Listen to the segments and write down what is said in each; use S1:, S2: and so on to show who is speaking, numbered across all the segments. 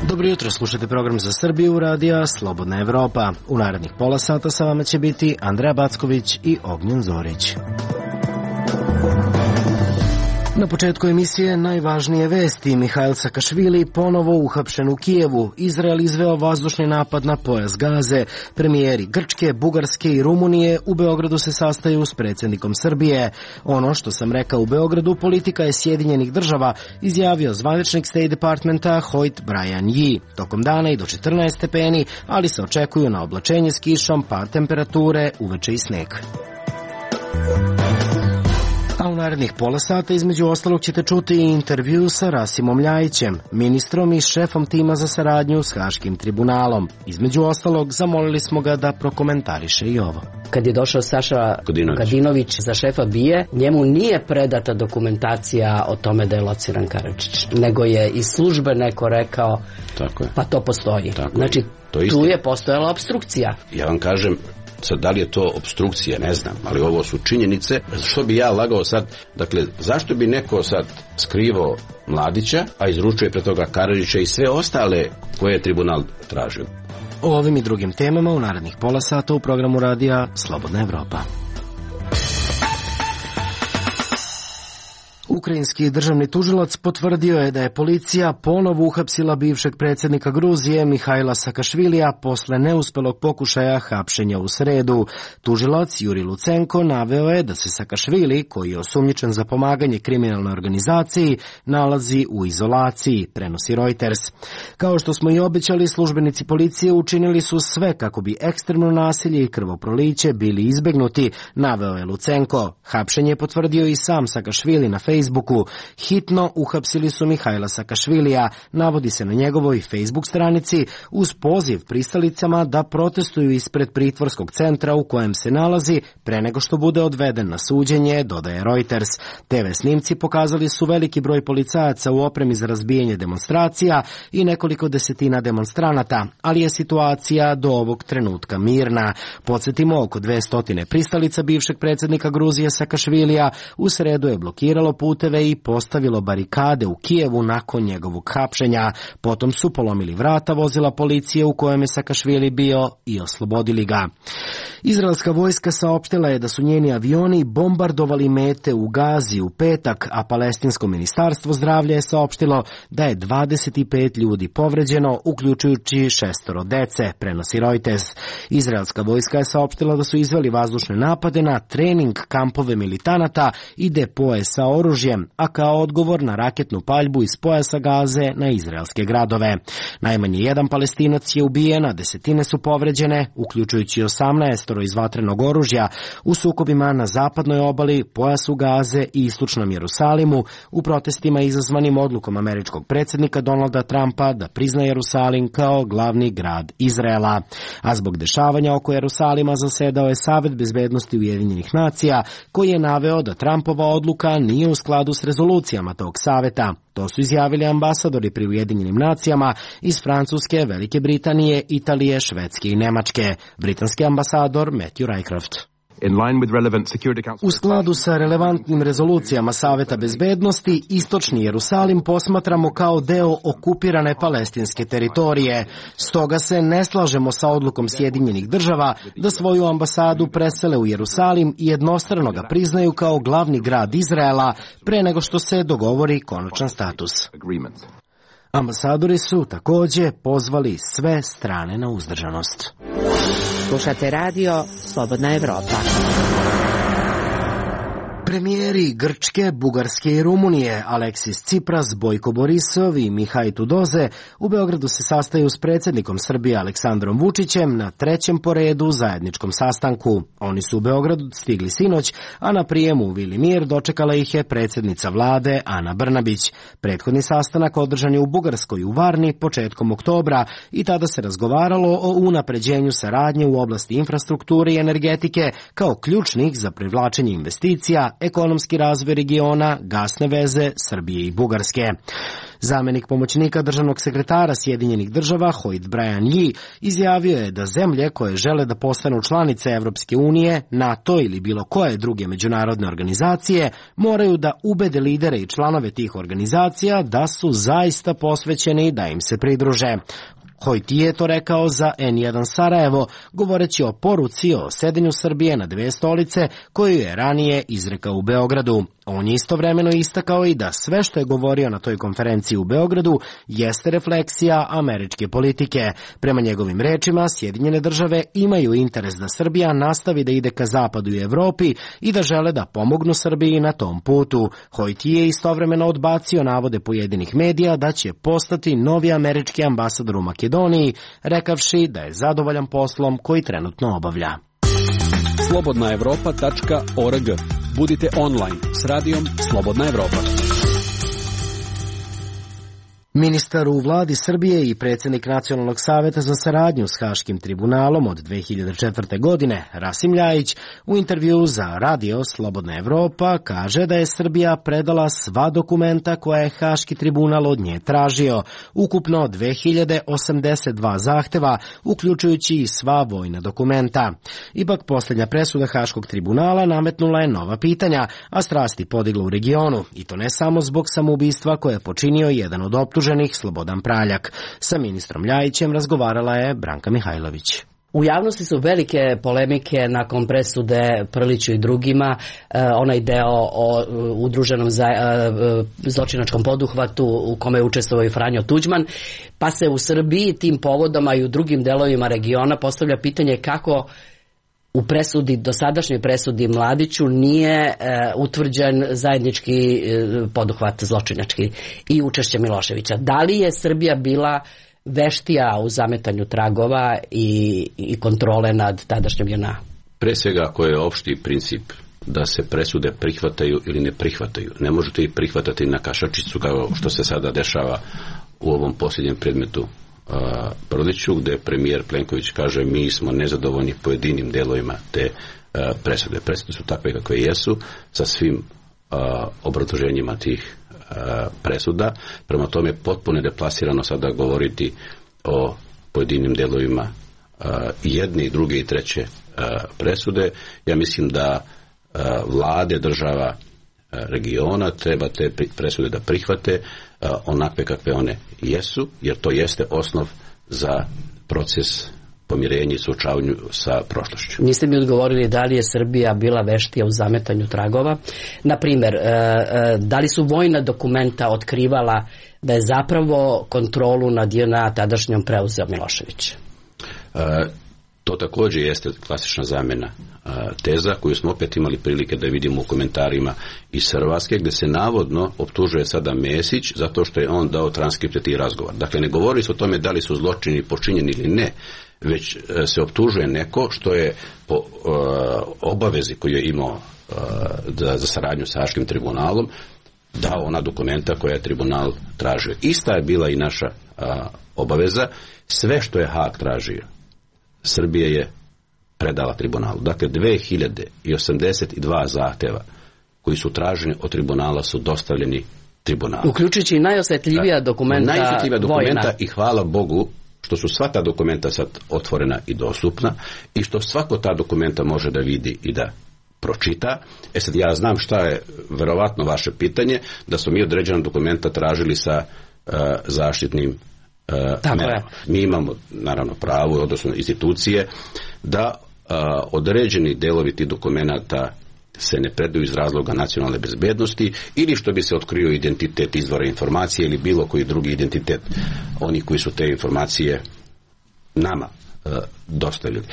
S1: Dobro jutro, slušajte program za Srbiju, radija Slobodna Evropa. U narednih pola sata sa vama će biti Andreja Backović i Ognjen Zorić. Na početku emisije najvažnije vesti. Mihajl Sakašvili ponovo uhapšen u Kijevu. Izrael izveo vazdušni napad na pojas Gaze. Premijeri Grčke, Bugarske i Rumunije u Beogradu se sastaju s predsjednikom Srbije. Ono što sam rekao u Beogradu, politika je Sjedinjenih država, izjavio zvaničnik State Departmenta Hoyt Brian Yee. Tokom dana i do 14 stepeni, ali se očekuju na oblačenje s kišom, pad temperature, uveče i sneg. A u narednih pola sata između ostalog ćete čuti i intervju sa Rasimom Ljajićem, ministrom i šefom tima za saradnju s Haškim tribunalom. Između ostalog zamolili smo ga da prokomentariše i ovo.
S2: Kad je došao Saša Kadinović za šefa BIA, njemu nije predata dokumentacija o tome da je lociran Karadžić, nego je iz službe neko rekao, tako je. Pa to postoji. Tako znači, tu je postojala opstrukcija.
S3: Ja vam kažem, sad, da li je to opstrukcija, ne znam, ali ovo su činjenice. Što bi ja lagao sad? Dakle, zašto bi neko sad skrivao Mladića, a izručuje pre toga Karadžića i sve ostale koje je tribunal tražio?
S1: O ovim i drugim temama u narednih pola sata u programu radija Slobodna Evropa. Ukrajinski državni tužilac potvrdio je da je policija ponovo uhapsila bivšeg predsjednika Gruzije Mihajla Sakašvilija posle neuspelog pokušaja hapšenja u sredu. Tužilac Juri Lucenko naveo je da se Sakašvili, koji je osumnjičen za pomaganje kriminalnoj organizaciji, nalazi u izolaciji, prenosi Reuters. Kao što smo i obećali, službenici policije učinili su sve kako bi ekstremno nasilje i krvoproliće bili izbegnuti, naveo je Lucenko. Hapšenje je potvrdio i sam Sakašvili na Facebooku. Hitno uhapsili su Mihajla Sakašvilija, navodi se na njegovoj Facebook stranici, uz poziv pristalicama da protestuju ispred pritvorskog centra u kojem se nalazi pre nego što bude odveden na suđenje, dodaje Reuters. TV snimci pokazali su veliki broj policajaca u opremi za razbijanje demonstracija i nekoliko desetina demonstranata, ali je situacija do ovog trenutka mirna. Podsjetimo, oko 200 pristalica bivšeg predsjednika Gruzije Sakašvilija u sredu je blokiralo puteve i postavilo barikade u Kijevu nakon njegovog hapšenja. Potom su polomili vrata vozila policije u kojem je Sakašvili bio i oslobodili ga. Izraelska vojska saopštila je da su njeni avioni bombardovali mete u Gazi u petak, a palestinsko ministarstvo zdravlja je saopštilo da je 25 ljudi povređeno, uključujući 6 dece, prenosi Reuters. Izraelska vojska je saopštila da su izveli vazdušne napade na trening kampove militanata i depoje sa oružjem, a kao odgovor na raketnu paljbu iz pojasa Gaze na izraelske gradove. Najmanje jedan Palestinac je ubijen, a desetine su povređene, uključujući 18 iz vatrenog oružja u sukobima na zapadnoj obali, pojasu Gaze i istočnom Jerusalimu, u protestima izazvanim odlukom američkog predsjednika Donalda Trumpa da prizna Jerusalim kao glavni grad Izraela. A zbog dešavanja oko Jerusalima zasedao je Savet bezbednosti Ujedinjenih nacija, koji je naveo da Trumpova odluka nije u skladu s rezolucijama tog saveta. To su izjavili ambasadori pri Ujedinjenim nacijama iz Francuske, Velike Britanije, Italije, Švedske i Nemačke. Britanski ambasador Matthew Rycroft. U skladu sa relevantnim rezolucijama Saveta bezbednosti, istočni Jerusalim posmatramo kao deo okupirane palestinske teritorije. Stoga se ne slažemo sa odlukom Sjedinjenih država da svoju ambasadu presele u Jerusalim i jednostrano ga priznaju kao glavni grad Izraela pre nego što se dogovori konačan status. Ambasadori su također pozvali sve strane na uzdržanost.
S2: Slušate radio Slobodna Evropa.
S1: Premijeri Grčke, Bugarske i Rumunije Aleksis Tsipras, Bojko Borisov i Mihaj Tudoze u Beogradu se sastaju s predsjednikom Srbije Aleksandrom Vučićem na trećem po redu zajedničkom sastanku. Oni su u Beogradu stigli sinoć, a na prijemu u Vili Mir dočekala ih je predsjednica vlade Ana Brnabić. Prethodni sastanak održan je u Bugarskoj u Varni početkom oktobra i tada se razgovaralo o unapređenju saradnje u oblasti infrastrukture i energetike kao ključnih za privlačenje investicija, ekonomski razvoj regiona, gasne veze Srbije i Bugarske. Zamenik pomoćnika državnog sekretara Sjedinjenih država Hoyt Brian Yee izjavio je da zemlje koje žele da postanu članice Evropske unije, NATO ili bilo koje druge međunarodne organizacije moraju da ubede lidere i članove tih organizacija da su zaista posvećeni da im se pridruže. Hoyt je to rekao za N1 Sarajevo, govoreći o poruci o sedenju Srbije na dve stolice koju je ranije izrekao u Beogradu. On je istovremeno istakao i da sve što je govorio na toj konferenciji u Beogradu jeste refleksija američke politike. Prema njegovim rečima, Sjedinjene države imaju interes da Srbija nastavi da ide ka zapadu i Evropi i da žele da pomognu Srbiji na tom putu. Hoyt je istovremeno odbacio navode pojedinih medija da će postati novi američki ambasador u Makedoniji, rekavši da je zadovoljan poslom koji trenutno obavlja.
S4: Slobodnaevropa.org. Budite online s radijom Slobodna Evropa.
S1: Ministar u vladi Srbije i predsjednik Nacionalnog saveta za saradnju s Haškim tribunalom od 2004. godine, Rasim Ljajić, u intervju za radio Slobodna Evropa kaže da je Srbija predala sva dokumenta koje je Haški tribunal od nje tražio, ukupno 2082 zahteva, uključujući i sva vojna dokumenta. Ipak posljednja presuda Haškog tribunala nametnula je nova pitanja, a strasti podigla u regionu, i to ne samo zbog samoubistva koje je počinio jedan od optuženih, Slobodan Praljak. Sa ministrom Ljajićem razgovarala je Branka Mihajlović.
S2: U javnosti su velike polemike nakon presude Prliću i drugima, onaj deo o udruženom zločinačkom poduhvatu u kome je učestvovao i Franjo Tuđman, pa se u Srbiji tim povodom, a i u drugim delovima regiona postavlja pitanje kako u presudi, dosadašnjoj presudi Mladiću nije utvrđen zajednički poduhvat zločinački i učešće Miloševića. Da li je Srbija bila veštija u zametanju tragova i kontrole nad tadašnjom JNA?
S3: Pre svega, ako je opšti princip da se presude prihvataju ili ne prihvataju. Ne možete ih prihvatati na kašačicu kao što se sada dešava u ovom posljednjem predmetu Prliću, gde premijer Plenković kaže mi smo nezadovoljni pojedinim delovima te presude. Presude su takve kakve jesu, sa svim obrazloženjima tih presuda. Prema tome potpuno deplasirano sada govoriti o pojedinim delovima jedne i druge i treće presude. Ja mislim da vlade država regiona treba te presude da prihvate onakve kakve one jesu, jer to jeste osnov za proces pomirenja i suočavanju sa prošlošću.
S2: Niste mi odgovorili da li je Srbija bila veštija u zametanju tragova. Naprimjer, da li su vojna dokumenta otkrivala da je zapravo kontrolu nad JNA tadašnjom preuzeo Milošević?
S3: To također jeste klasična zamena teza koju smo opet imali prilike da vidimo u komentarima iz Hrvatske, gdje se navodno optužuje sada Mesić zato što je on dao transkripte tih razgovora. Dakle, ne govori se o tome da li su zločini počinjeni ili ne, već se optužuje neko što je po obavezi koju je imao za saradnju sa Haškim tribunalom dao ona dokumenta koja je tribunal tražio. Ista je bila i naša obaveza. Sve što je Haag tražio, Srbija je predala tribunalu. Dakle, 2082 zahteva koji su traženi od tribunala su dostavljeni tribunalu.
S2: Uključujući i najosjetljivija dokumenta vojna.
S3: I hvala Bogu što su sva ta dokumenta sad otvorena i dostupna i što svako ta dokumenta može da vidi i da pročita. Sad ja znam šta je verovatno vaše pitanje, da smo mi određena dokumenta tražili sa zaštitnim merama. Mi imamo naravno pravo, odnosno institucije, da određeni delovi tih dokumenata se ne predaju iz razloga nacionalne bezbednosti ili što bi se otkrio identitet izvora informacije ili bilo koji drugi identitet onih koji su te informacije nama dostavili.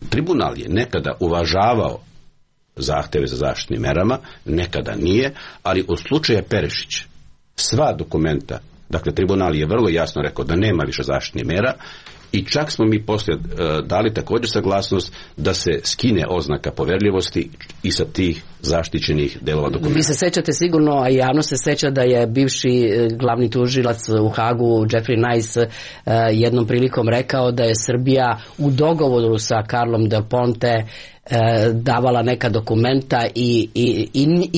S3: Tribunal je nekada uvažavao zahteve za zaštitnim merama, nekada nije, ali u slučaju Perešić sva dokumenta, dakle tribunal je vrlo jasno rekao da nema više zaštitnih mera i čak smo mi poslije dali također saglasnost da se skine oznaka poverljivosti i sa tih zaštićenih delova dokumenta.
S2: Vi se sećate sigurno, a javno se seća da je bivši glavni tužilac u Hagu, Jeffrey Nice, jednom prilikom rekao da je Srbija u dogovoru sa Karlom Del Ponte davala neka dokumenta i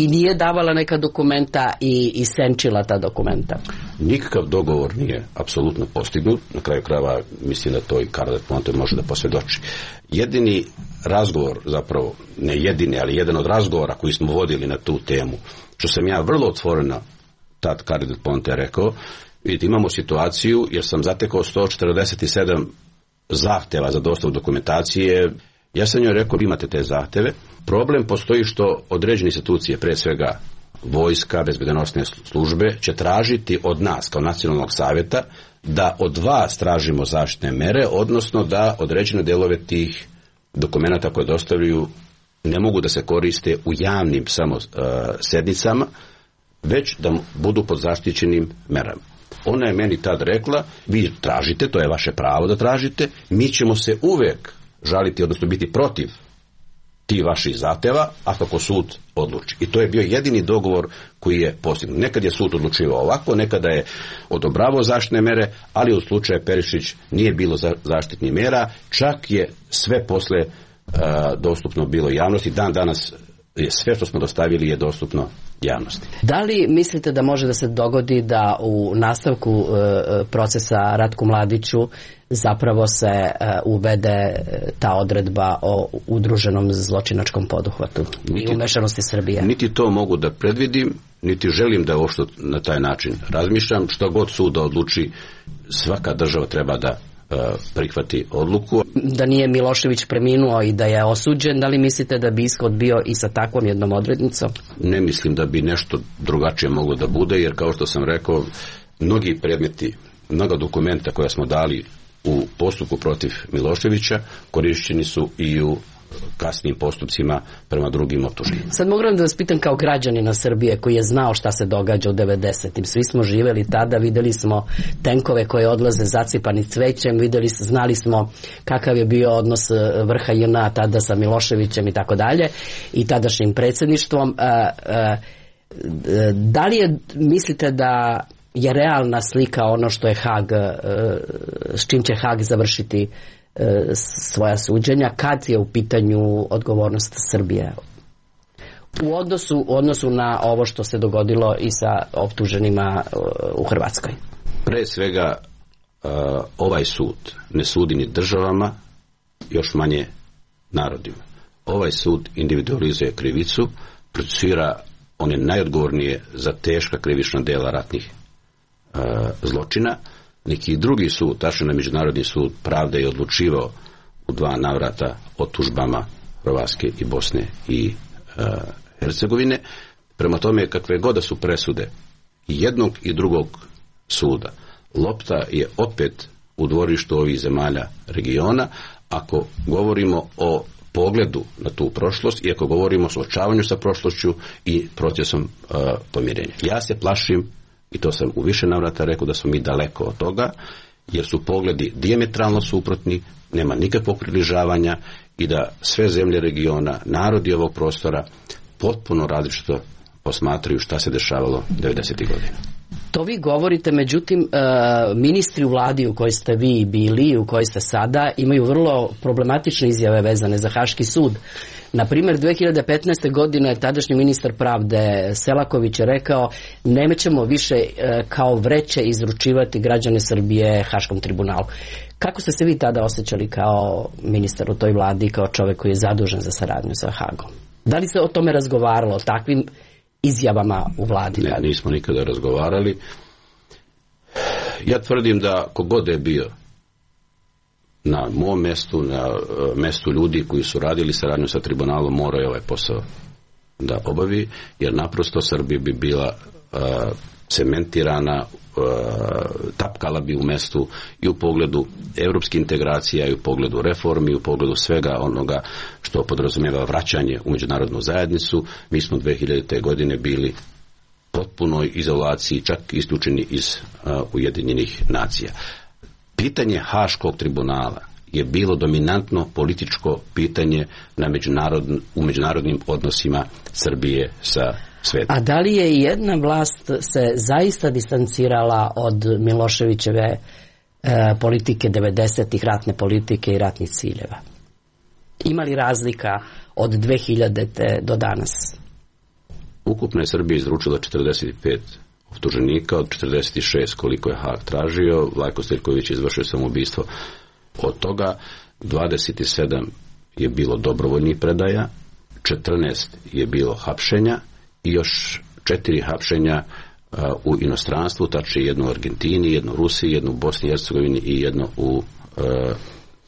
S2: nije davala neka dokumenta i senčila ta dokumenta.
S3: Nikakav dogovor nije apsolutno postignut. Na kraju krajeva mislim da to i Carla Del Ponte može da posvjedoči. Jedini razgovor, zapravo ne jedini, ali jedan od razgovora koji smo vodili na tu temu, što sam ja vrlo otvoreno tad Carla Del Ponte rekao, vidite, imamo situaciju jer sam zatekao 147 zahteva za dostavu dokumentacije. Ja sam joj rekao, imate te zahteve. Problem postoji što određene institucije, pre svega vojska, bezbednosne službe, će tražiti od nas kao nacionalnog savjeta da od vas tražimo zaštitne mere, odnosno da određene delove tih dokumenata koje dostavljaju ne mogu da se koriste u javnim samo sednicama, već da budu pod zaštićenim merama. Ona je meni tad rekla, vi tražite, to je vaše pravo da tražite, mi ćemo se uvek žaliti, odnosno biti protiv ti vaših zahteva, a kako sud odluči. I to je bio jedini dogovor koji je postignut. Nekad je sud odlučivao ovako, nekada je odobravao zaštitne mere, ali u slučaju Perišić nije bilo zaštitnih mera, čak je sve posle dostupno bilo javnosti. Dan danas je sve što smo dostavili je dostupno javnosti.
S2: Da li mislite da može da se dogodi da u nastavku procesa Ratku Mladiću zapravo se uvede ta odredba o udruženom zločinačkom poduhvatu i umešanosti Srbije?
S3: Niti to mogu da predvidim, niti želim da uopšte na taj način razmišljam. Što god sud da odluči, svaka država treba da prihvati odluku.
S2: Da nije Milošević preminuo i da je osuđen, da li mislite da bi ishod bio i sa takvom jednom odrednicom?
S3: Ne mislim da bi nešto drugačije moglo da bude, jer kao što sam rekao, mnogi predmeti, mnoga dokumenta koja smo dali u postupku protiv Miloševića korišćeni su i u kasnijim postupcima prema drugim optuženima.
S2: Sad moram da vas pitam kao građanina Srbije koji je znao šta se događa u 90-im. Svi smo živjeli tada, videli smo tenkove koje odlaze zacipani cvećem, znali smo kakav je bio odnos vrha JNA tada sa Miloševićem i tako dalje i tadašnjim predsjedništvom. Da li mislite da je realna slika ono što je Hag, s čim će Hag završiti svoja suđenja, kad je u pitanju odgovornost Srbije u odnosu na ovo što se dogodilo i sa optuženima u Hrvatskoj?
S3: Pre svega ovaj sud ne sudi ni državama, još manje narodima. Ovaj sud individualizuje krivicu, procesuira one najodgovornije za teška krivična dela ratnih zločina. Neki drugi sud, tačno na Međunarodni sud pravde, je odlučivao u 2 navrata o tužbama Hrvatske i Bosne i Hercegovine. Prema tome, kakve god da su presude i jednog i drugog suda, lopta je opet u dvorištu ovih zemalja regiona, ako govorimo o pogledu na tu prošlost i ako govorimo o suočavanju sa prošlošću i procesom pomirenja. Ja se plašim, i to sam u više navrata rekao, da smo mi daleko od toga, jer su pogledi dijametralno suprotni, nema nikakvog približavanja i da sve zemlje regiona, narodi ovog prostora potpuno različito posmatraju šta se dešavalo 90. godina.
S2: To vi govorite, međutim, ministri u vladi u kojoj ste vi bili i u kojoj ste sada imaju vrlo problematične izjave vezane za Haški sud. Na primjer, 2015. godine tadašnji ministar pravde Selaković je rekao nećemo više kao vreće izručivati građane Srbije Haškom tribunalu. Kako ste se vi tada osjećali kao ministar u toj vladi, kao čovjek koji je zadužen za saradnju sa Hagom? Da li se o tome razgovaralo, o takvim izjavama u vladi?
S3: Ne, nismo nikada razgovarali. Ja tvrdim da kogod je bio na mom mestu, na mestu ljudi koji su radili saradnju sa tribunalom, moraju ovaj posao da obavi, jer naprosto Srbija bi bila cementirana, tapkala bi u mestu i u pogledu evropskih integracija, i u pogledu reformi, i u pogledu svega onoga što podrazumijeva vraćanje u međunarodnu zajednicu. Mi smo 2000. godine bili potpunoj izolaciji, čak isključeni iz Ujedinjenih nacija. Pitanje Haškog tribunala je bilo dominantno političko pitanje u međunarodnim odnosima Srbije sa svetom.
S2: A da li je jedna vlast se zaista distancirala od Miloševićeve politike 90-ih, ratne politike i ratnih ciljeva? Ima li razlika od 2000. do danas?
S3: Ukupno je Srbija izručila 45 optuženika, od 46 koliko je Hag tražio. Vlajko Stojković je izvršio samoubistvo. Od toga 27 je bilo dobrovoljnih predaja, 14 je bilo hapšenja i još 4 hapšenja u inostranstvu, tačnije jedno u Argentini, jedno u Rusiji, jedno u Bosni i Hercegovini i jedno u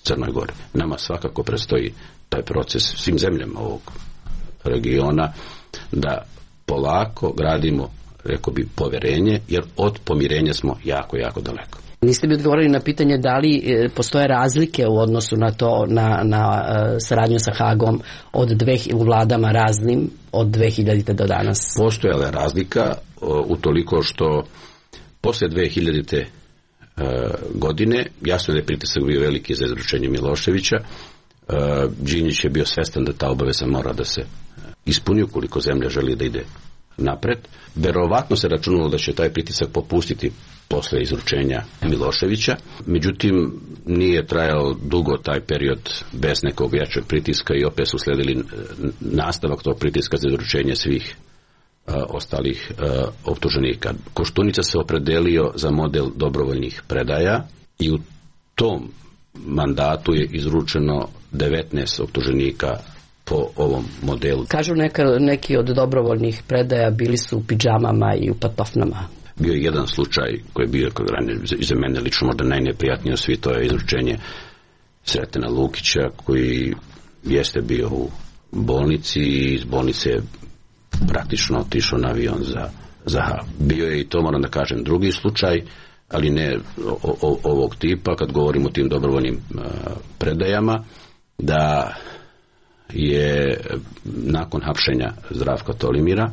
S3: Crnoj Gori. Nama svakako predstoji taj proces svim zemljama ovog regiona da polako gradimo, rekao bi, poverenje, jer od pomirenja smo jako, jako daleko.
S2: Niste mi odgovorili na pitanje da li postoje razlike u odnosu na to, na saradnju sa Hagom u vladama raznim od 2000. do danas?
S3: Postojala je razlika utoliko što posle 2000. Godine, jasno da je pritisak bio veliki za izručenje Miloševića. Đinđić je bio svestan da ta obaveza mora da se ispuni ukoliko zemlja želi da ide napred. Verovatno se računalo da će taj pritisak popustiti posle izručenja Miloševića. Međutim, nije trajao dugo taj period bez nekog jačeg pritiska i opet su sledili nastavak tog pritiska za izručenje svih ostalih optuženika. Koštunica se opredelio za model dobrovoljnih predaja i u tom mandatu je izručeno 19 optuženika po ovom modelu.
S2: Kažu neki od dobrovoljnih predaja bili su u pidžamama i u patofnama.
S3: Bio je jedan slučaj koji je bio za mene lično možda najneprijatniji od svih, to je izručenje Sretena Lukića koji jeste bio u bolnici i iz bolnice je praktično otišao na avion za Hag. Bio je i to, moram da kažem, drugi slučaj, ali ne ovog tipa, kad govorimo o tim dobrovoljnim predajama, da je nakon hapšenja Zdravka Tolimira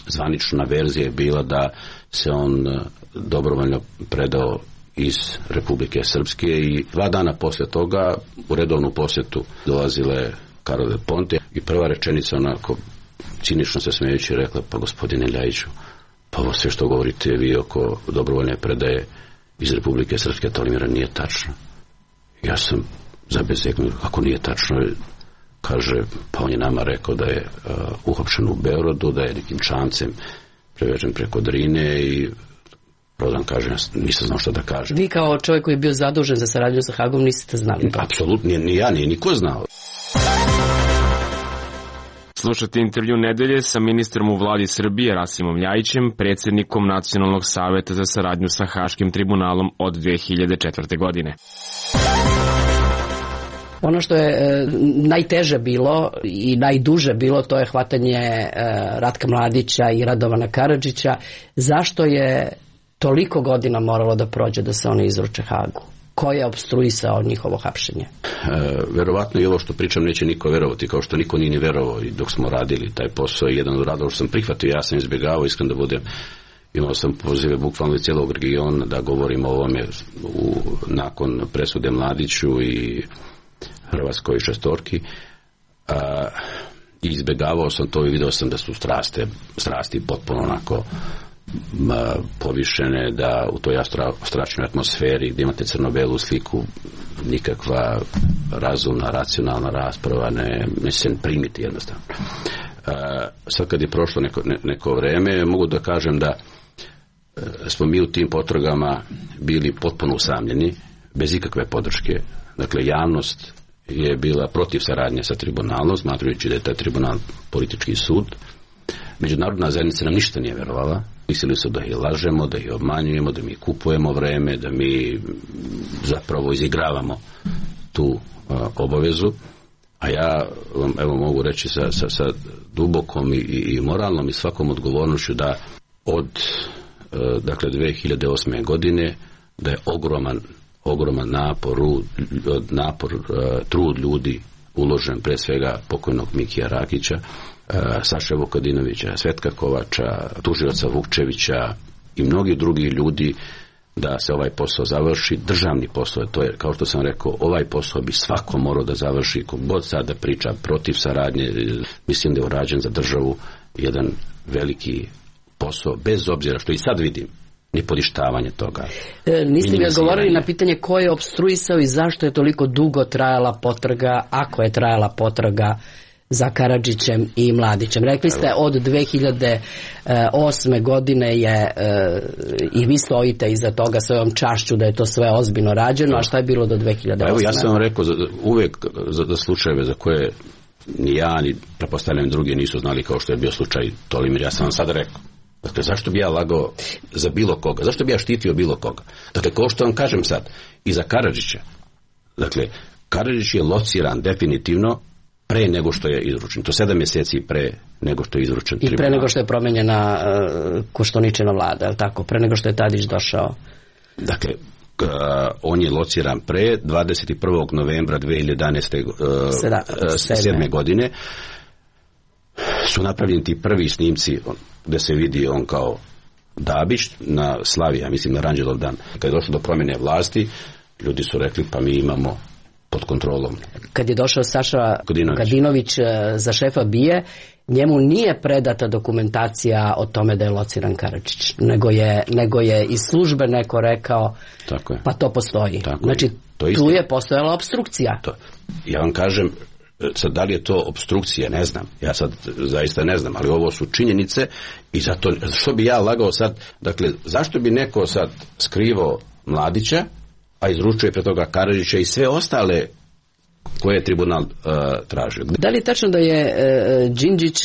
S3: zvanična verzija je bila da se on dobrovoljno predao iz Republike Srpske i 2 dana posle toga u redovnu posjetu dolazile Karol del Ponte i prva rečenica onako cinično se smejući rekla: pa gospodine Ljajiću, pa ovo sve što govorite vi oko dobrovoljne predaje iz Republike Srpske Tolimira nije tačno. Ja sam zabezeknuo, kako nije tačno? Kaže, pa on je nama rekao da je uhapšen u Beogradu, da je nekim čamcem prevežen preko Drine i Prodan kaže, nisam znao što da kažem.
S2: Vi kao čovjek koji je bio zadužen za saradnju sa Hagom niste znali?
S3: Apsolutno, ni ja, nije niko znao.
S5: Slušate intervju nedelje sa ministrom u vladi Srbije Rasimom Ljajićem, predsjednikom Nacionalnog saveta za saradnju sa Haškim tribunalom od 2004. godine.
S2: Ono što je najteže bilo i najduže bilo, to je hvatanje Ratka Mladića i Radovana Karadžića. Zašto je toliko godina moralo da prođe da se oni izruče Hagu? Ko je opstruisao njihovo hapšenje?
S3: Verovatno i ovo što pričam neće niko verovati, kao što niko nije ni verovao i dok smo radili taj posao. Jedan od radova što sam prihvatio, ja sam izbjegavao, iskren da budem. Imao sam pozive bukvalno iz cijelog regiona da govorim o ovome nakon presude Mladiću i Hrvatskoj šestorki. Izbjegavao sam to i video sam da su strasti potpuno onako povišene, da u toj strašnoj atmosferi gdje imate crno-belu sliku nikakva razumna, racionalna rasprava ne se primiti jednostavno. Sad kad je prošlo neko vreme, mogu da kažem da smo mi u tim potragama bili potpuno usamljeni, bez ikakve podrške. Dakle, javnost je bila protiv saradnje sa tribunalom, smatrajući da je taj tribunal politički sud. Međunarodna zajednica nam ništa nije verovala. Mislili su da ih lažemo, da ih obmanjujemo, da mi kupujemo vreme, da mi zapravo izigravamo tu obavezu. A ja vam evo mogu reći sa dubokom i moralnom i svakom odgovornošću da od dakle 2008. godine da je ogroman napor, trud ljudi uložen, pre svega pokojnog Mikija Rakića, Saše Vukadinovića, Svetka Kovača, tužioca Vukčevića i mnogi drugi ljudi da se ovaj posao završi. Državni posao, to je, kao što sam rekao, ovaj posao bi svako morao da završi, kogod sada priča protiv saradnje, mislim da je urađen za državu jedan veliki posao, bez obzira što i sad vidim ni poništavanje toga.
S2: Niste mi odgovorili na pitanje ko je opstruisao i zašto je toliko dugo trajala potraga, ako je trajala potraga za Karadžićem i Mladićem. Rekli ste od 2008. godine je i vi stojite iza toga svojom čašću da je to sve ozbiljno rađeno, a šta je bilo do 2008?
S3: Evo ja sam vam rekao uvek za slučajeve za koje ni ja ni pretpostavljam drugi nisu znali, kao što je bio slučaj Tolimir, ja sam vam sad rekao. Dakle, zašto bi ja lagao za bilo koga? Zašto bi ja štitio bilo koga? Dakle, kao što vam kažem sad, i za Karadžića. Dakle, Karadžić je lociran definitivno pre nego što je izručen. To 7 mjeseci pre nego što je izručen.
S2: I pre nego što je promenjena Koštuničina vlada, je li tako? Pre nego što je Tadić došao.
S3: Dakle, on je lociran pre 21. novembra 2007. godine. Su napravljeni ti prvi snimci gde se vidi on kao Dabić na Slavija, mislim na Ranđelov dan. Kad je došlo do promjene vlasti, ljudi su rekli pa mi imamo pod kontrolom.
S2: Kad je došao Saša Kadinović za šefa BIA, njemu nije predata dokumentacija o tome da je lociran Karadžić, nego je iz službe neko rekao pa to postoji. Znači tu je postojala opstrukcija.
S3: Ja vam kažem, sad da li je to opstrukcija, ne znam. Ja sad zaista ne znam, ali ovo su činjenice i zato, što bi ja lagao sad, dakle, zašto bi neko sad skrivao Mladića, a izručuje pre toga Karadžića i sve ostale koje je tribunal tražio.
S2: Da li je tačno da je Đinđić,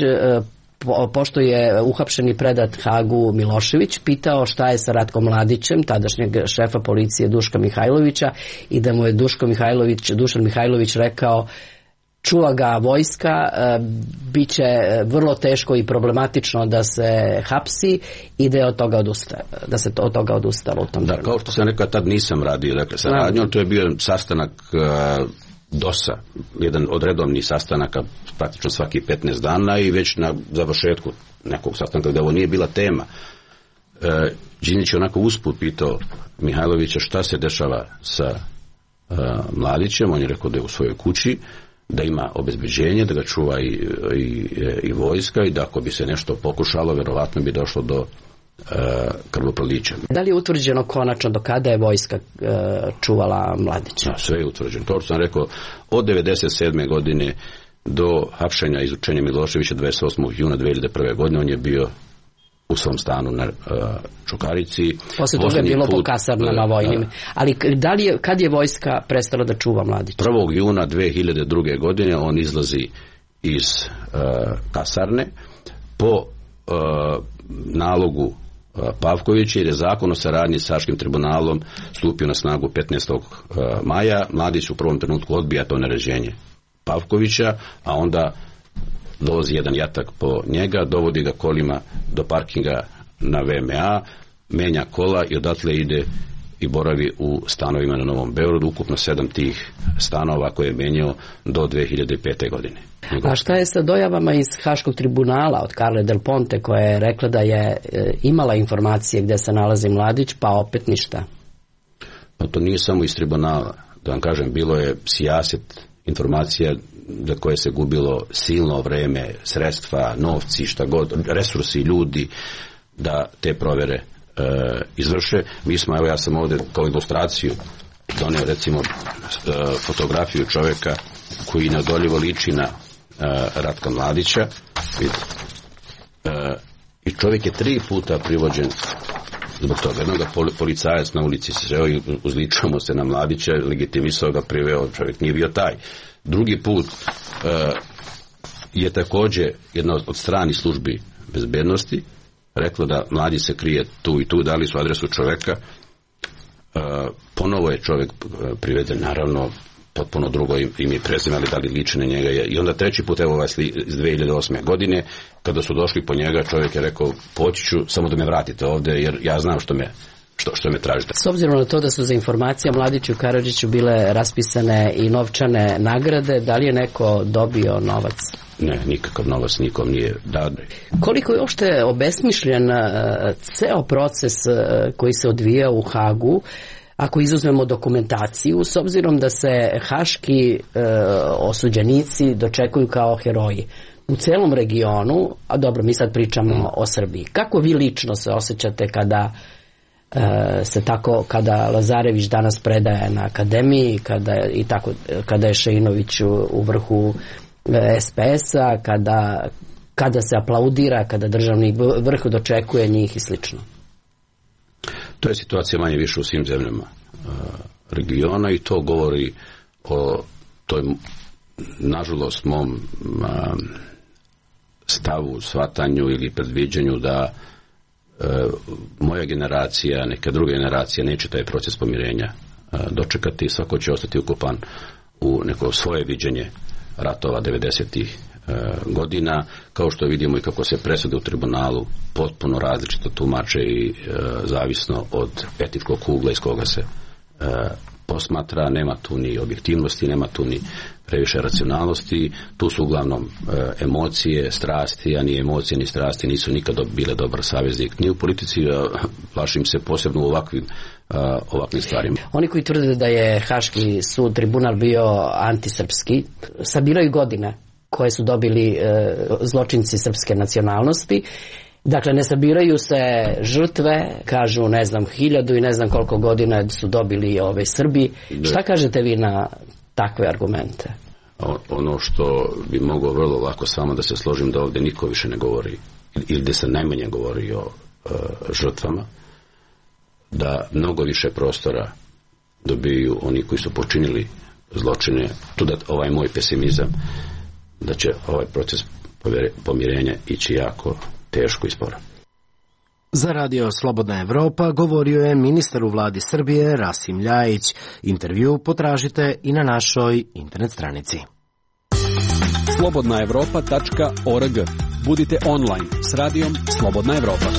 S2: pošto je uhapšen i predat Hagu Milošević, pitao šta je sa Ratkom Mladićem, tadašnjeg šefa policije Duška Mihajlovića, i da mu je Dušan Mihajlović rekao čuva ga vojska, bit će vrlo teško i problematično da se hapsi i da je od toga odustalo u tom trenutku.
S3: Kao što sam rekao, tad nisam radio sa radnjom, to je bio sastanak DOS-a, jedan od redovnih sastanaka praktično svaki 15 dana i već na završetku nekog sastanka gdje ovo nije bila tema. Đinđić je onako usput pitao Mihajlovića šta se dešava sa Mladićem, on je rekao da je u svojoj kući, da ima obezbeđenje, da ga čuva i vojska i da ako bi se nešto pokušalo, verovatno bi došlo do krvoprolića.
S2: Da li je utvrđeno konačno do kada je vojska čuvala Mladića?
S3: Sve je utvrđeno. To što sam rekao, od 1997. godine do hapšenja i izručenja Miloševića 28. juna 2001. godine on je bio u svom stanu na Čukarici.
S2: Posle toga je bilo po kasarnama vojnim. Ali kad je vojska prestala da čuva Mladića?
S3: 1. juna 2002. godine on izlazi iz kasarne po nalogu Pavkovića, jer je zakon o saradnji s Haškim tribunalom stupio na snagu 15. maja. Mladić u prvom trenutku odbija to naređenje Pavkovića, a onda dovozi jedan jatak po njega, dovodi ga kolima do parkinga na VMA, menja kola i odatle ide i boravi u stanovima na Novom Beogradu, ukupno 7 tih stanova koje je menjao do 2005. godine.
S2: A šta je sa dojavama iz Haškog tribunala od Carle Del Ponte, koja je rekla da je imala informacije gdje se nalazi Mladić, pa opet ništa?
S3: Pa to nije samo iz tribunala. Da vam kažem, bilo je sijaset informacija za koje se gubilo silno vreme, sredstva, novci, šta god, resursi, ljudi, da te provere izvrše. Mi smo, evo ja sam ovdje kao ilustraciju doneo recimo fotografiju čovjeka koji neodoljivo liči na Ratka Mladića. I čovjek je 3 puta privođen zbog toga. Jednoga policajac na ulici se sreo i uzličamo se na Mladića, legitimisao ga, priveo, čovjek nije bio taj. Drugi put je također jedna od stranih službi bezbednosti reklo da Mladić se krije tu i tu, dali su adresu čovjeka, ponovo je čovjek priveden, naravno potpuno drugo ime i prezime, ali da li liči na njega je. I onda 3. put, evo iz 2008. godine, kada su došli po njega, čovjek je rekao, poći ću, samo da me vratite ovdje, jer ja znam što me tražite.
S2: S obzirom na to da su za informacije Mladiću i Karadžiću bile raspisane i novčane nagrade, da li je neko dobio novac?
S3: Ne, nikakav novac nikom nije dan.
S2: Koliko je uopšte obesmišljen ceo proces koji se odvija u Hagu, ako izuzmemo dokumentaciju, s obzirom da se haški osuđenici dočekuju kao heroji u celom regionu, a dobro, mi sad pričamo o Srbiji. Kako vi lično se osjećate kada Lazarević danas predaje na akademiji, kada je Šeinović u vrhu SPS-a, kada se aplaudira, kada državni vrh dočekuje njih i slično.
S3: To je situacija manje više u svim zemljama regiona i to govori o toj, nažalost, mom stavu, shvatanju ili predviđanju da moja generacija, neka druga generacija neće taj proces pomirenja dočekati, svako će ostati ukupan u neko svoje viđenje ratova 90-ih godina, kao što vidimo i kako se presude u tribunalu potpuno različito tumače i zavisno od etičkog ugla iz koga se posmatra, nema tu ni objektivnosti, nema tu ni previše racionalnosti, tu su uglavnom emocije, strasti, a ni emocije ni strasti nisu nikad bile dobar saveznik ni u politici, plašim se posebno u ovakvim stvarima.
S2: Oni koji tvrde da je Haški sud, tribunal bio antisrpski, sabiraju godine koje su dobili zločinci srpske nacionalnosti. Dakle, ne sabiraju se žrtve, kažu 1000 i ne znam koliko godina su dobili Srbi. Šta kažete vi na takve argumente?
S3: Ono što bi mogao vrlo lako samo da se složim, da ovdje niko više ne govori ili da se najmanje govori o žrtvama, da mnogo više prostora dobiju oni koji su počinili zločine. Tu da ovaj moj pesimizam da će ovaj proces pomirenja ići jako teško i sporo.
S1: Za Radio Slobodna Evropa govorio je ministar u vladi Srbije Rasim Ljajić. Intervju potražite i na našoj internet stranici.
S4: slobodnaevropa.org. Budite online s radijom Slobodna Evropa.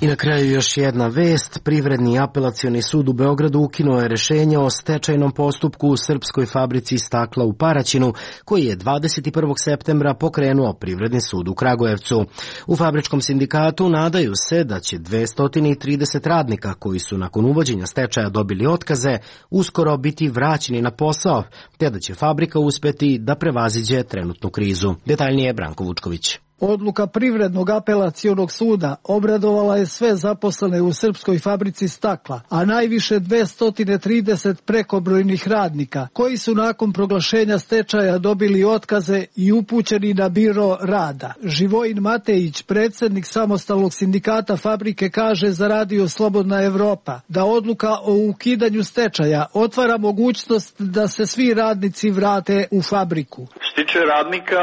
S1: I na kraju još jedna vest. Privredni apelacioni sud u Beogradu ukinuo je rešenje o stečajnom postupku u srpskoj fabrici stakla u Paraćinu, koji je 21. septembra pokrenuo Privredni sud u Kragujevcu. U fabričkom sindikatu nadaju se da će 230 radnika koji su nakon uvođenja stečaja dobili otkaze uskoro biti vraćeni na posao, te da će fabrika uspeti da prevaziđe trenutnu krizu. Detaljnije Branko Vučković.
S6: Odluka Privrednog apelacionog suda obradovala je sve zaposlene u srpskoj fabrici stakla, a najviše 230 prekobrojnih radnika, koji su nakon proglašenja stečaja dobili otkaze i upućeni na biro rada. Živojin Matejić, predsjednik samostalnog sindikata fabrike, kaže za Radio Slobodna Evropa da odluka o ukidanju stečaja otvara mogućnost da se svi radnici vrate u fabriku.
S7: Što se tiče radnika,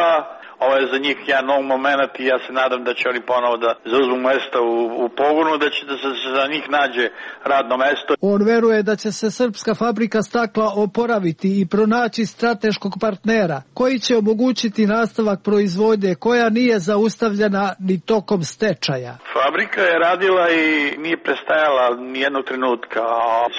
S7: ovo je za njih jedan nov moment i ja se nadam da će oni ponovo da zauzmu mesta u pogonu, da će da se za njih nađe radno mesto.
S6: On veruje da će se srpska fabrika stakla oporaviti i pronaći strateškog partnera koji će omogućiti nastavak proizvodnje koja nije zaustavljena ni tokom stečaja.
S7: Fabrika je radila i nije prestajala ni jednog trenutka.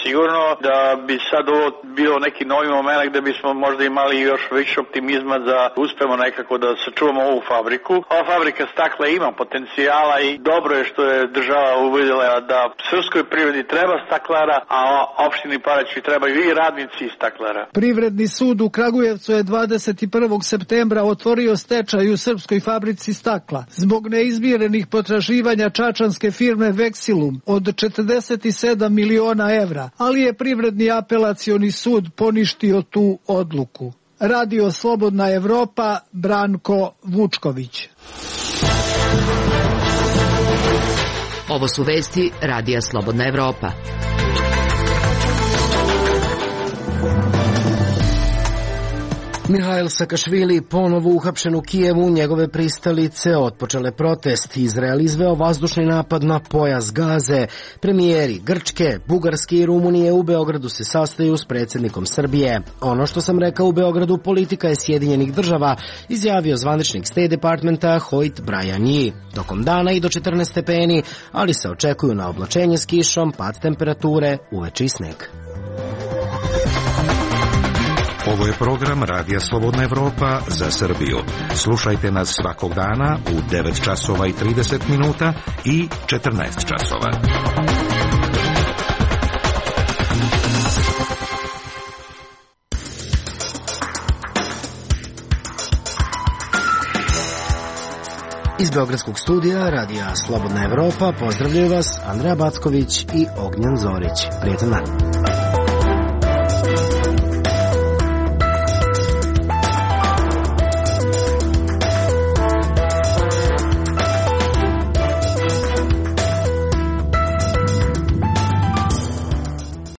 S7: Sigurno da bi sad ovo bio neki novi moment gde bismo možda imali još više optimizma da uspemo nekako da sačuvamo ovu fabriku. Ova fabrika stakla ima potencijala i dobro je što je država uvidjela da srpskoj privredi treba staklara, a opštini Paraćin trebaju i radnici i staklara.
S6: Privredni sud u Kragujevcu je 21. septembra otvorio stečaj u srpskoj fabrici stakla zbog neizmirenih potraživanja čačanske firme Vexilum od 47 miliona evra, ali je Privredni apelacioni sud poništio tu odluku. Radio Slobodna Evropa, Branko Vučković.
S8: Ovo su vesti Radija Slobodna Evropa.
S1: Mihail Sakašvili ponovo uhapšen u Kijevu, njegove pristalice otpočele protest. Izrael izveo vazdušni napad na pojas Gaze. Premijeri Grčke, Bugarske i Rumunije u Beogradu se sastaju s predsjednikom Srbije. Ono što sam rekao u Beogradu, politika je Sjedinjenih država, izjavio zvaničnik State Departmenta Hoyt Bryan. Tokom dana i do 14 stepeni, ali se očekuju na oblačenje s kišom, pad temperature, uveče i sneg.
S9: Ovo je program Radija Slobodna Evropa za Srbiju. Slušajte nas svakog dana u 9 časova i 30 minuta i 14 časova.
S1: Iz Beogradskog studija Radija Slobodna Evropa pozdravljaju vas Andreja Backović i Ognjen Zorić. Prijetan dan.